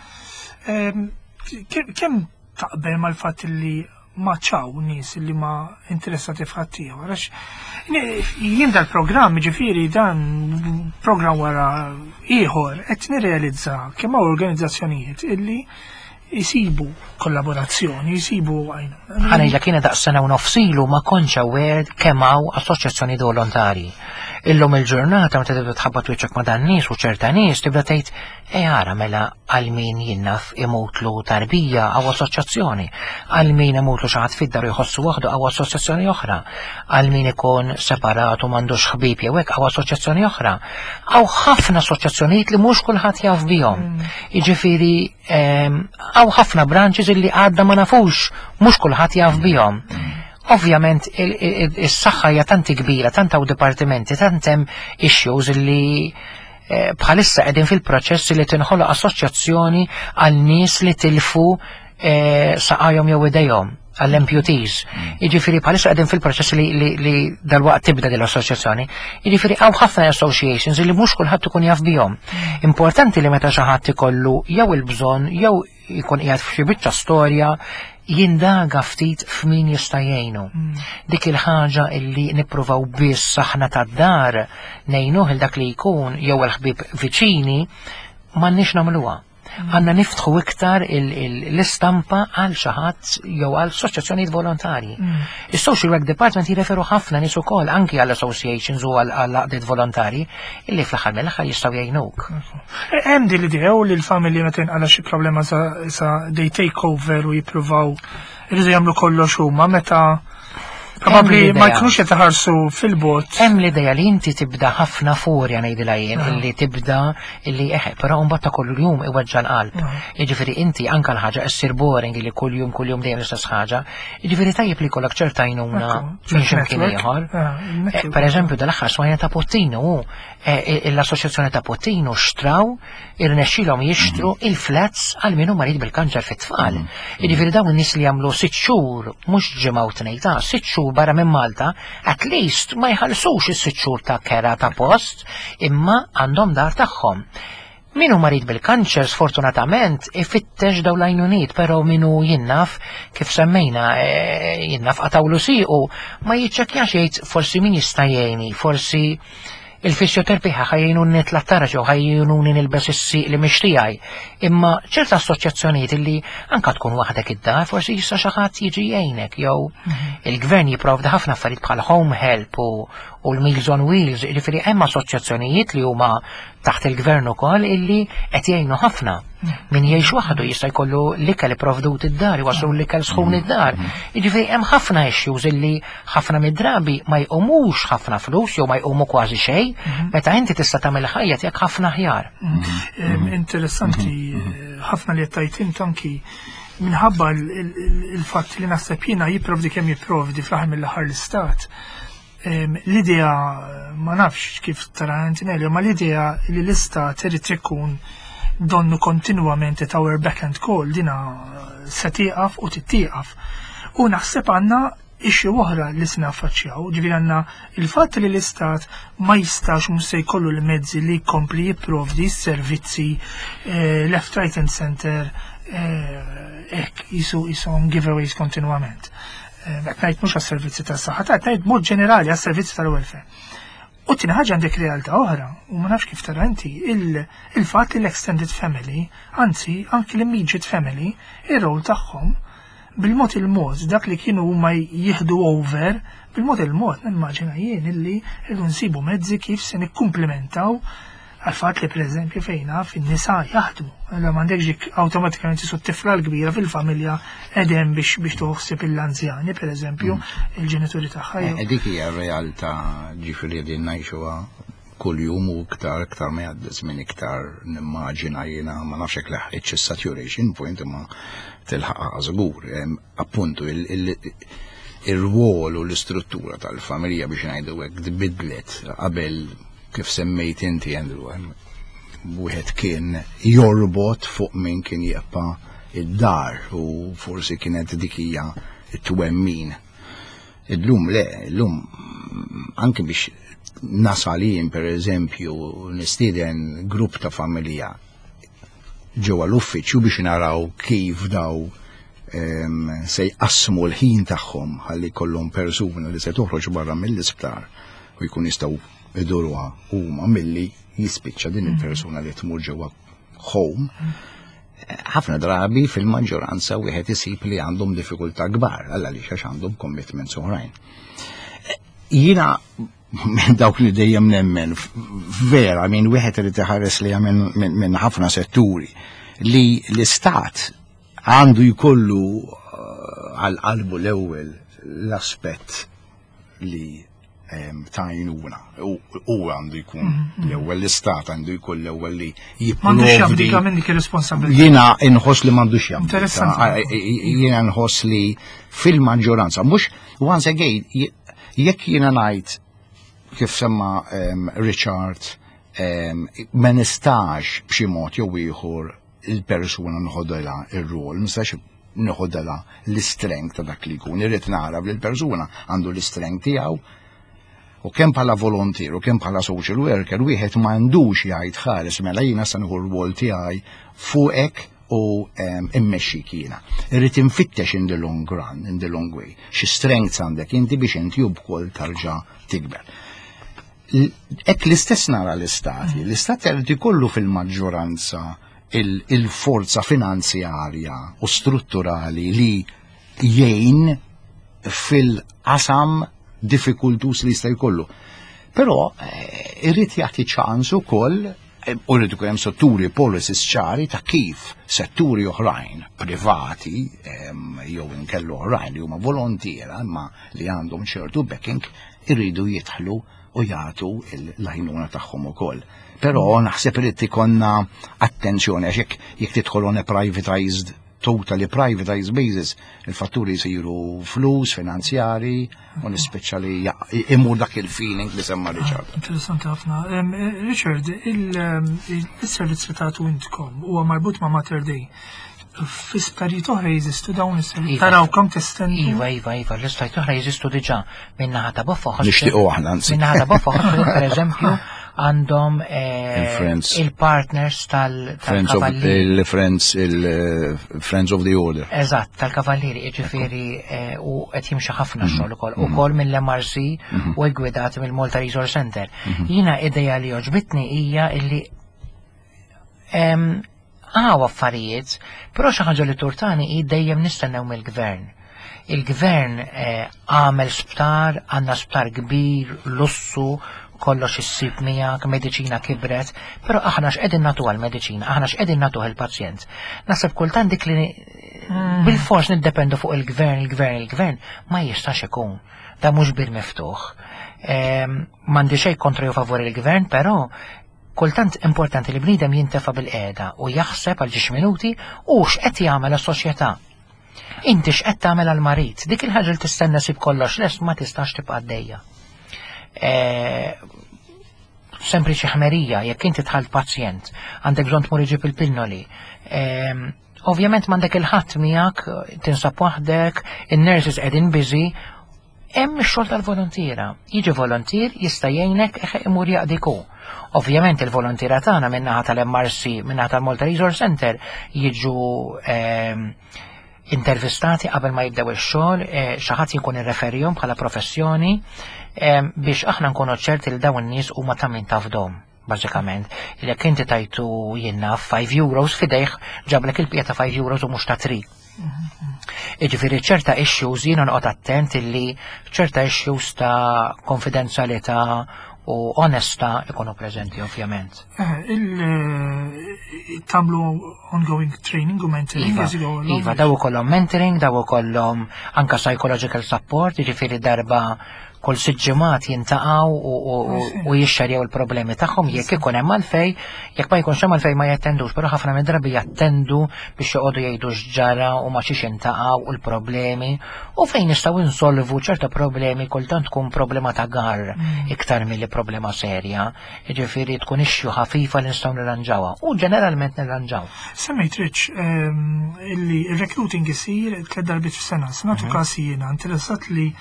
Kemm taqbel mal-fatt li ma ċaw nies li ma interessati f'ħaddieħor. Għax jien dal-programm, ġifieri dan programm wara ieħor qed nirrealizza kemm hawn organizzazzjonijiet illi jisibu kollaborazzjoni, jisibu għajnuna. Ħa ngħidlek jiena daqs sena u nofs ilu ma kontx aware kemm hawn assoċjazzjoni volontari. Illum il-ġurnata meta tibda tħabbat wiċċek ma' dan nies u ċerta nies tibda tgħid e ara mela għal min jinnaf imutlu tarbija għaw assoċjazzjoni, għal min imutlu xi ħadd fid-dar u jħossu waħdu għaw assoċjazzjoni oħra, għal min ikun separat u m'għandux ħbieb jew hekk għaw assoċjazzjoni oħra. Għaw ħafna assoċjazzjonijiet li mhux kulħadd jaf bihom. Jiġifieri għaw ħafna branches illi għadna ma nafux, mhux kulħadd jaf bihom. Ovvjament is-saħħa hija tanti kbira, tant hawn dipartimenti, tant hemm issues illi bħalissa qegħdin fil-proċess li tinħoloq assoċjazzjoni għal nies li tilfu saqajhom jew idejhom għall-amputees. Jiġifieri bħalissa qegħdin fil-proċess li dalwaqt tibda din l-assoċjazzjoni. Jiġifieri hawn ħafna associations li mhux kulħadd ikun jaf bihom. Importanti li meta xi ħadd ikollu jew il-bżonn jew jkun qiegħed f'xi biċċa storja jindaga ftit f'min jista' jgħinu. Dik il-ħaġa illi nippruvaw biss aħna tad-dar ngħinuh il dak li jkun jew il-ħbieb viċini m'għandniex nagħmluha. Għandna niftħu iktar l-istampa għal xi ħadd jew għal assoċjazzjonijiet volontarji. Is-Social Work Department jirreferu ħafna nies ukoll anki għal associations u għal għaqdiet volontarji illi fl-aħħar mill-aħħar jistgħu jgħinuk. Hemm din l-idea u li l-familji meta jinqala xi problema sa they take over u jippruvaw iridu jagħmlu kollox huma meta probabbli ma jkunux qed iħarsu fil-bot. Hemm l-idea li inti tibda ħafna furja ngħidilha jien illi tibda illi eħe, però mbagħad ta' kull jum iweġġa l-qalb. Jiġifieri inti anke l-ħaġa issir boring li kuljum kuljum dejjem l-istess ħaġa. Jiġifieri tajjeb li jkollok ċerta għajnuna minn x'imkien ieħor. Per eżempju, dal-aħħar smajna ta' Puttinu, l-Assoċjazzjoni ta' Puttinu xtraw irnexxilhom jixtru il-flats għal min hu marid bil-kanċer fit-tfal. Jiġifieri dawn in-nies li jagħmlu 6 xhur mhux ġimgħa u tnejn ta' 6 xhur barra minn Malta, at least ma jħallsux is-6 xhur ta' kera ta' post, imma għandhom dar tagħhom. Min hu marid bil-kanċer sfortunatament ifittex dawn l-għajnuniet, però min hu jinnaf kif semmejna jinnaf qatawlu siequ ma jiċċekkjax jgħid forsi min jista' jgħinni, forsi il-fisioterapija ħa jgħinuni nitla' t-taraġ jew ħa jgħinuni nilbes is-sieq li mhix tiegħi. Imma ċerta assoċjazzjonijiet illi anka tkun waħdek id-dar, forsi jista' xi ħadd jiġi jgħinek jew il-gvern jipprovdi ħafna affarijiet bħal home help u l-Meals on Wheels, jiġifieri hemm assoċjazzjonijiet li huma taħt il-gvern ukoll illi qed jgħinu ħafna. Min jgħix waħdu jista' jkollu l-ikel ipprovdut id-dar, iwasslu l-ikel sħun id-dar. Jiġifieri hemm ħafna issues illi ħafna mid-drabi ma jqumux ħafna flus jew ma jqumu kważi xejn, meta inti tista' tagħmel ħajja tiegħek ħafna aħjar. Interessanti ħafna li qed tgħid int anki minħabba il-fatt li naħseb jiena jipprovdi kemm jipprovdi fl-aħħar mill-aħħar l-istat. L-idea, ma nafx kif tara Antonelli, ma l-idea li l-istat irid ikun donnu kontinwament at our beck and call, dina se tieqaf u tittieqaf. U naħseb għandna issue oħra li se naffaċċjaw, ġifieri għandna il-fatt li l-istat ma jistax mhux se jkollu l-mezzi li jkompli jipprovdi s-servizzi left, right and center, hekk jisu giveaways kontinwament. Qed ngħid mhux għas-servizzi tas-saħħa, ta' ngħid mod ġenerali għas-servizzi tal-welfare. U tieni ħaġa għandek realtà oħra, u ma nafx kif tara inti, il-fatt li l-extended family, anzi anki l-immediate family, ir-rol tagħhom bil-mod il-mod, dak li kienu huma jieħdu over, bil-mod il-mod, nimmaġina jien illi rridu nsibu mezzi kif se nikkumplementaw għal-fatt li pereżempju fejna fin-nisa jaħdmu. Allora m'għandekx dik awtomatikament isu t-tifla l-kbira fil-familja edem biex toħsib l-anzjani, pereżempju, il-ġenituri tagħha. Dik hija realtà ġifieri din ngħixuha kuljum u iktar ma jgħaddi żmien iktar nimmaġina jiena ma nafx hekk leħqitx is-saturation point imma tilħaqha żgur. Appuntu ir-rwol u l-istruttura tal-familja biex ngħidu hekk tbidlet qabel kif semmejt inti Andrew, wieħed kien jorbot fuq min kien jibqa' id-dar u forsi kienet dik hija t-twemmin. Illum le, illum anke biex nasal jien per eżempju nistieden grupp ta' familja ġewwa l-uffiċċju biex naraw kif daw se jqassmu l-ħin tagħhom ħalli jkollhom persuna li se toħroġ barra mill-isptar u jkun jistgħu iduruha huma milli jispiċċa din il-persuna li tmur ġewwa home. Ħafna drabi fil-maġġoranza wieħed isib li għandhom diffikultà kbar għal għaliex għax għandhom commitments oħrajn. Jiena minn dawk li dejjem nemmen vera minn wieħed irid iħares li minn ħafna setturi li l-istat għandu jkollu għal qalbu l-ewwel l-aspett li ta' għajnuna. U għandu jkun l-ewwel l-istat għandu jkun l-ewwel li M'għandux jipprovdi. jabdika minn dik ir-responsabilità. Jiena inħoss li m'għandux jabdika. Interessanti. Jiena nħoss li fil-maġġoranza, mhux once again, jekk jiena ngħid kif semma Richard, ma nistax b'xi mod jew ieħor il-persuna nħodela ir-rol, nistax nħodela l-strength ta' dak li jkun. Irrid nara li l-persuna għandu l-strength tiegħu u kemm bħala volontier u kemm bħala social worker wieħed m'għandux jgħid ħares mela jiena se nieħu r-rwol tiegħi fuqek u immexxik jiena. Irrid infittex in the long run, in the long way. Xi strengths għandek inti biex inti wkoll tarġa' tikber. Hekk l-istess nara l-istati. L-istat irid ikollu fil-maġġoranza Il-forza finanzjarja u strutturali li jgħin fil-qasam diffikultus li jista' jkollu. Però irrid jagħti ċans ukoll u rrid ikun hemm setturi, policies ċari ta' kif setturi oħrajn privati jew inkellu oħrajn li huma volontiera imma li għandhom ċertu backing irridu jidħlu u jagħtu l-għajnuna tagħhom ukoll. Però naħseb irid ikollna attenzjoni għax jekk tidħol on a privatized, totally privatized basis, il-fatturi jisiru flus, finanzjari, u nispeċa li imur dak il-feeling li semma Richard. Ah, interessanti ħafna. Richard, il-servizz li tagħtu intkom huwa marbut ma' Mater Dei. Fi sptarijiet oħra jeżistu dawn is-servizzi. Iva. Taraw kemm testendu. Iva, l-isptarijiet oħra jeżistu diġà min-naħa ta' Boffa. Nixtiequ aħna anzi. Min-naħa ta' Boffa per eżempju, għandhom Il-Friends. il-partners Friends of tal-Kavallieri. Il-Friends, il-Friends of the Order. Eżatt, tal-Kavallieri, ġifieri u qed jimxi ħafna xogħol ukoll, ukoll mill-MRC u ggwidati mill-Malta Resource Center. Jiena ideja li għoġbitni hija illi għaw affarijiet, però xi ħaġa li turtani hi dejjem nistennew mill-gvern. Il-gvern għamel sptar, għandna sptar kbir, lussu, kollox issib miegħek, mediċina kibret, però aħna x'qegħdin nagħtu għall-mediċina, aħna x'qegħdin nagħtuh il-pazjent. Naħseb kultant dik li bil-fors niddependu fuq il-gvern, il-gvern, il-gvern, ma jistax ikun. Da mhux bir miftuħ. M'għandi xejn kontra jew favur il-gvern, però kultant importanti li bniedem jintefa' bil-qiegħda u jaħseb għal ġiex minuti u x'qed jagħmel għas-soċjetà. Inti x'qed tagħmel għall-marid, dik il-ħaġa li tistenna sib kollox lest ma tistax tibqa' għaddejja. Sempliċi ħmerija, jekk inti tħall pazjent, għandek bżonn tmur iġib il-pinnoli. Ovvjament m'għandek il-ħadd miegħek, tinsab waħdek, in-nurses qegħdin busy, hemm ix-xogħol tal-volontiera. Jiġi volontier jista' jgħinek imur jaqdik hu. Ovvjament il-volontiera tagħna min-naħa tal-MRC, min-naħa tal-Malta Resource Center jiġu intervistati qabel ma jibdew ix-xogħol, xi ħadd jkun irreferihom bħala professjoni biex aħna nkunu ċerti li dawn in-nies huma ta' min tafdhom. Bażikament, jekk inti tajtu jiena 5 euros f'idejh ġablek il-bqija ta' 5 euros u mhux ta' 3. Jiġifieri ċerta issues jiena noqgħod attent illi ċerta issues ta' konfidenzjalità u onesta ikunu preżenti ovvjament. Tagħmlu ongoing training u mentoring Iva, as you go along? Iva, daw ikollhom mentoring, daw ikollhom anka psychological support, jiġifieri darba kull 6 ġimgħat jintaqgħu u jixxerjaw il-problemi tagħhom jekk ikun hemm għalfej, jekk ma jkunx hemm għalfej ma jattendux, però ħafna minn drabi jattendu biex joqogħdu jgħidu x'ġara u ma xiex intaqgħu u l-problemi u fejn nistgħu insolvu ċerta problemi kultant tkun problema ta' gar iktar milli problema serja, jiġifieri tkun issue ħafifa li nistgħu nirranġawha u ġeneralment nirranġaw. Semmejt Rich, illi il-recruiting isir 3 darbiet f'sena, se nagħtu każ jiena interessat li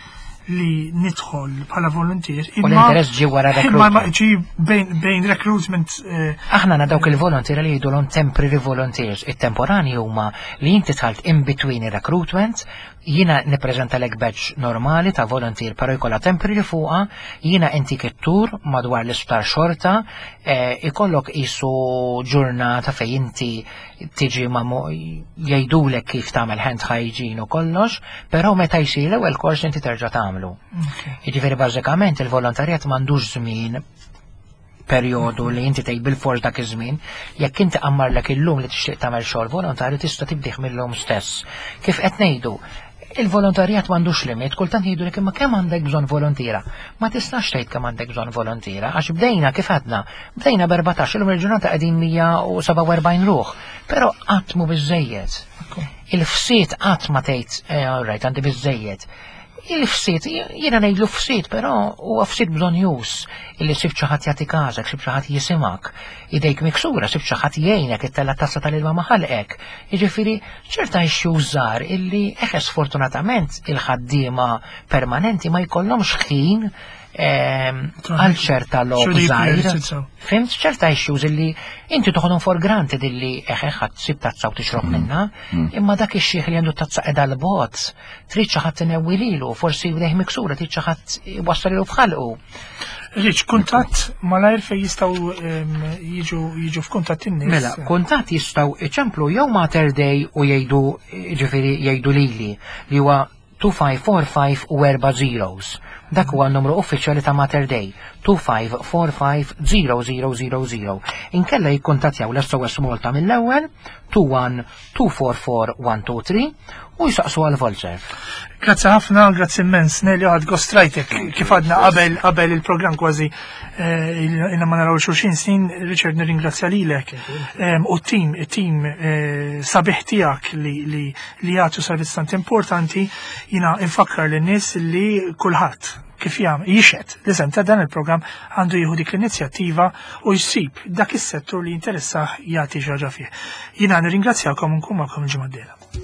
nidħol bħala volunteer. U l-interess ġie wara Imma recruitment. ġie bejn recruitment. Aħna għandna dawk il-volunteer li jgħidulhom temporary volunteers. It-temporani huma li inti dħalt in between il-recruitment, jiena nippreżentalek badge normali ta' volunteer, però jkollha temporary fuqha, jiena inti kittur madwar l-isptar xorta, ikollok isu ġurnata fejn inti tiġi ma jgħidulek kif tagħmel hand hygiene u kollox, però meta jsir l-ewwel kors inti terġa' tagħmlu. Jiġifieri bażikament il-volontarjat m'għandux żmien perjodu li inti tgħid bil-fors dak iż-żmien, jekk inti qammarlek illum li tixtieq tagħmel xogħol volontarju tista' tibdih mill-lum stess. Kif qed ngħidu, il-volontarjat m'għandux limit, kultant jgħidulek imma kemm għandek bżonn volontiera. Ma tistax tgħid kemm għandek bżonn volontiera, għax bdejna kif għadna, bdejna b'erbatax, illum il-ġurnata qegħdin 147 ruħ, però qatt mhu biżejjed. Il-fsiet qatt ma tgħid, all right, għandi biżejjed. Il-fsiet, jiena ngħidlu fsiet, però huwa fsiet bżonjus illi sibt xi ħadd jagħti każek, sibt xi ħadd jisimak, idejk miksura, sibt xi ħadd jgħinek ittella' tazza tal-ilma ma' ħalqek. Jiġifieri ċerta issues żgħar illi eħe sfortunatament il-ħaddiema permanenti ma jkollhomx ħin Għal ċerta logħob żgħir. Fhimt ċerta issues illi inti toħodhom for granted illi eħe ħadd sib tazza u tixrob minnha, imma dak ix-xiħ li għandu tazza qiegħda l-bot, trid xi ħadd inewwi lilu, forsi jdejh miksura trid xi ħadd iwassal f'ħalqu. Rich, kuntatt malajr fejn jistgħu jiġu jiġu f'kuntatt in-nies. Mela, kuntatt jistgħu iċemplu jew Mater Dei u jgħidu ġifieri jgħidu lili li huwa 2545 u 4 zeros. Dak huwa n-numru uffiċjali ta' Mater Dei 2545 0000. Inkella jikkuntattjaw l-SOS Malta mill-ewwel 21 244 123 u jisaqsu għal Volzer. Grazzi ħafna, grazzi immens, Nelly għad gostrajtek kif għadna qabel qabel il-programm kważi ilna ma naraw xulxin snin, Richard nirringrazzja lilek u t-tim, it-tim sabiħ tiegħek li li jagħtu servizz tant importanti, jiena infakkar lin-nies li kulħadd kif jam jixed l-isem ta' dan il-programm għandu jieħu dik l-inizjattiva u jsib dak is-settur li jinteressah jagħti xi ħaġa fih. Jiena nirringrazzjakom u nkun magħkom il-ġimgħa d-dieħla.